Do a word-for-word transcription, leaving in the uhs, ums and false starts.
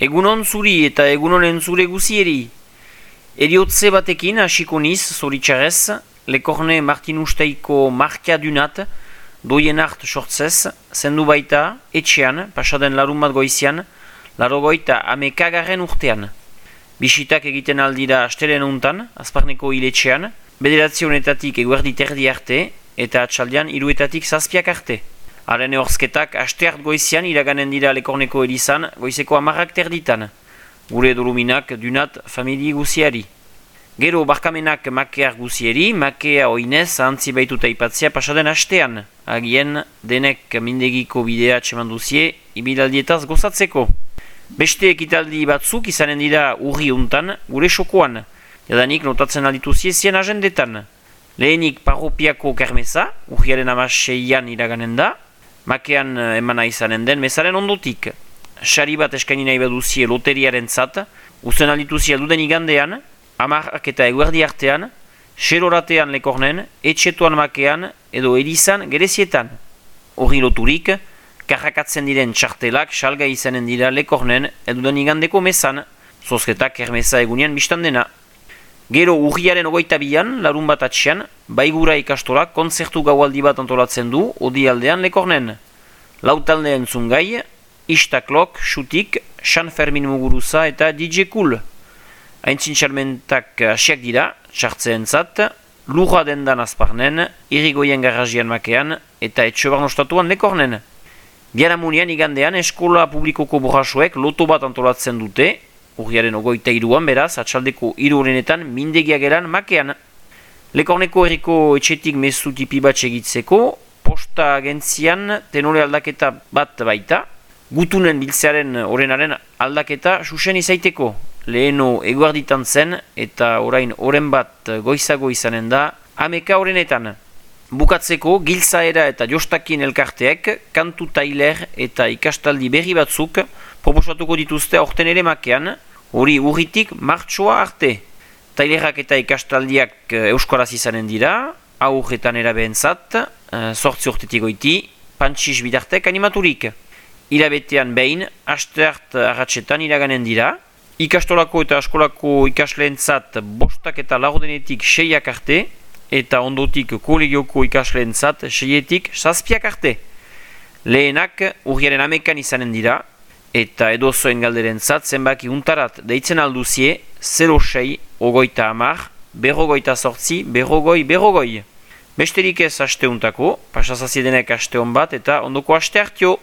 Egunon zuri eta egunonen zure guzieri. Eriotze batekin hasiko niz, zoritxarez, Lekorne Martinusteiko markia dunat, doien hart sortzez, zendu baita, etxean, pasaden larun bat goizian, larogoita amekagarren urtean. Bisitak egiten aldira astelen untan, azparneko hiletxean, bederatzionetatik eguerdi terdi arte, eta atxaldean hiruetatik zazpiak arte. Haren ehorzketak asteart goizian iraganen dira Lekorneko erizan, goizeko amarrak terditan. Gure doluminak dunat famili guziari. Gero barkamenak makear guzieri, makea oinez ahantzi baituta ipatzea pasaden astean. Agien denek mindegiko bidea txeman duzie, ibilaldietaz gozatzeko. Beste ekitaldi batzuk izanen dira urri untan, gure sokoan. Jadanik notatzen alditu ziezien agendetan. Lehenik parropiako kermeza, urriaren amaseian iraganen da, makean emana izanen den mezaren ondotik. Sari bat eskaini nahi baduzie loteriaren zat, uzen aldituzie duden igandean, amarrak eta eguerdi artean, seroratean Lekornen, etxetuan makean edo erizan gerezietan. Horri loturik, karrakatzen diren txartelak salga izanen dira Lekornen eduden igandeko mezan, zozketak kermeza egunean biztan dena. Gero urriaren ogoita bian, larun bat atxean, baigura ikastolak kontzertu gaualdi bat antolatzen du odialdean Lekornen. Lautalde entzun gai, Istaklok, Xutik, San Fermin Muguruza eta D J Cool. Aintzin txalmentak asiak dira, txartzeen zat, lurra dendan azparnen, irrigoien garrazian makean eta etxobarn ostatuan Lekornen. Biaramunian igandean eskola publikoko borrasoek loto bat antolatzen dute, urriaren ogoita iruan beraz, atxaldeko hiru horrenetan mindegiak eran makean. Lekorneko herriko etxetik mezu tipi bat segitzeko, posta agentzian tenore aldaketa bat baita, gutunen biltzearen orenaren aldaketa susen izaiteko. Leheno eguarditan zen eta orain oren bat goizago izanen da ameka orenetan. Bukatzeko giltzaera eta jostakin elkarteek kantu tailer eta ikastaldi berri batzuk proposatuko dituzte aurten ere makean, hori urritik martxoa arte. Tailerak eta ikastaldiak euskaraz izanen dira, aurretan erabehentzat, sortzi urtetik goiti, pantxis bidartek animaturik. Irabetean behin, asteart arratsetan iraganen dira, ikastolako eta askolako ikasleentzat bostak eta laurdenetik seiak arte, eta ondotik kolegioko ikasleentzat seietik zazpiak arte. Lehenak urriaren amekan izanen dira, eta edozoen galderentzat zenbaki untarat deitzen alduzie zero sei, ogoita amar, berrogoita sortzi, berrogoi, berrogoi. Besterik ez aste untako, pasazaziedenek aste hon bat eta ondoko aste hartio.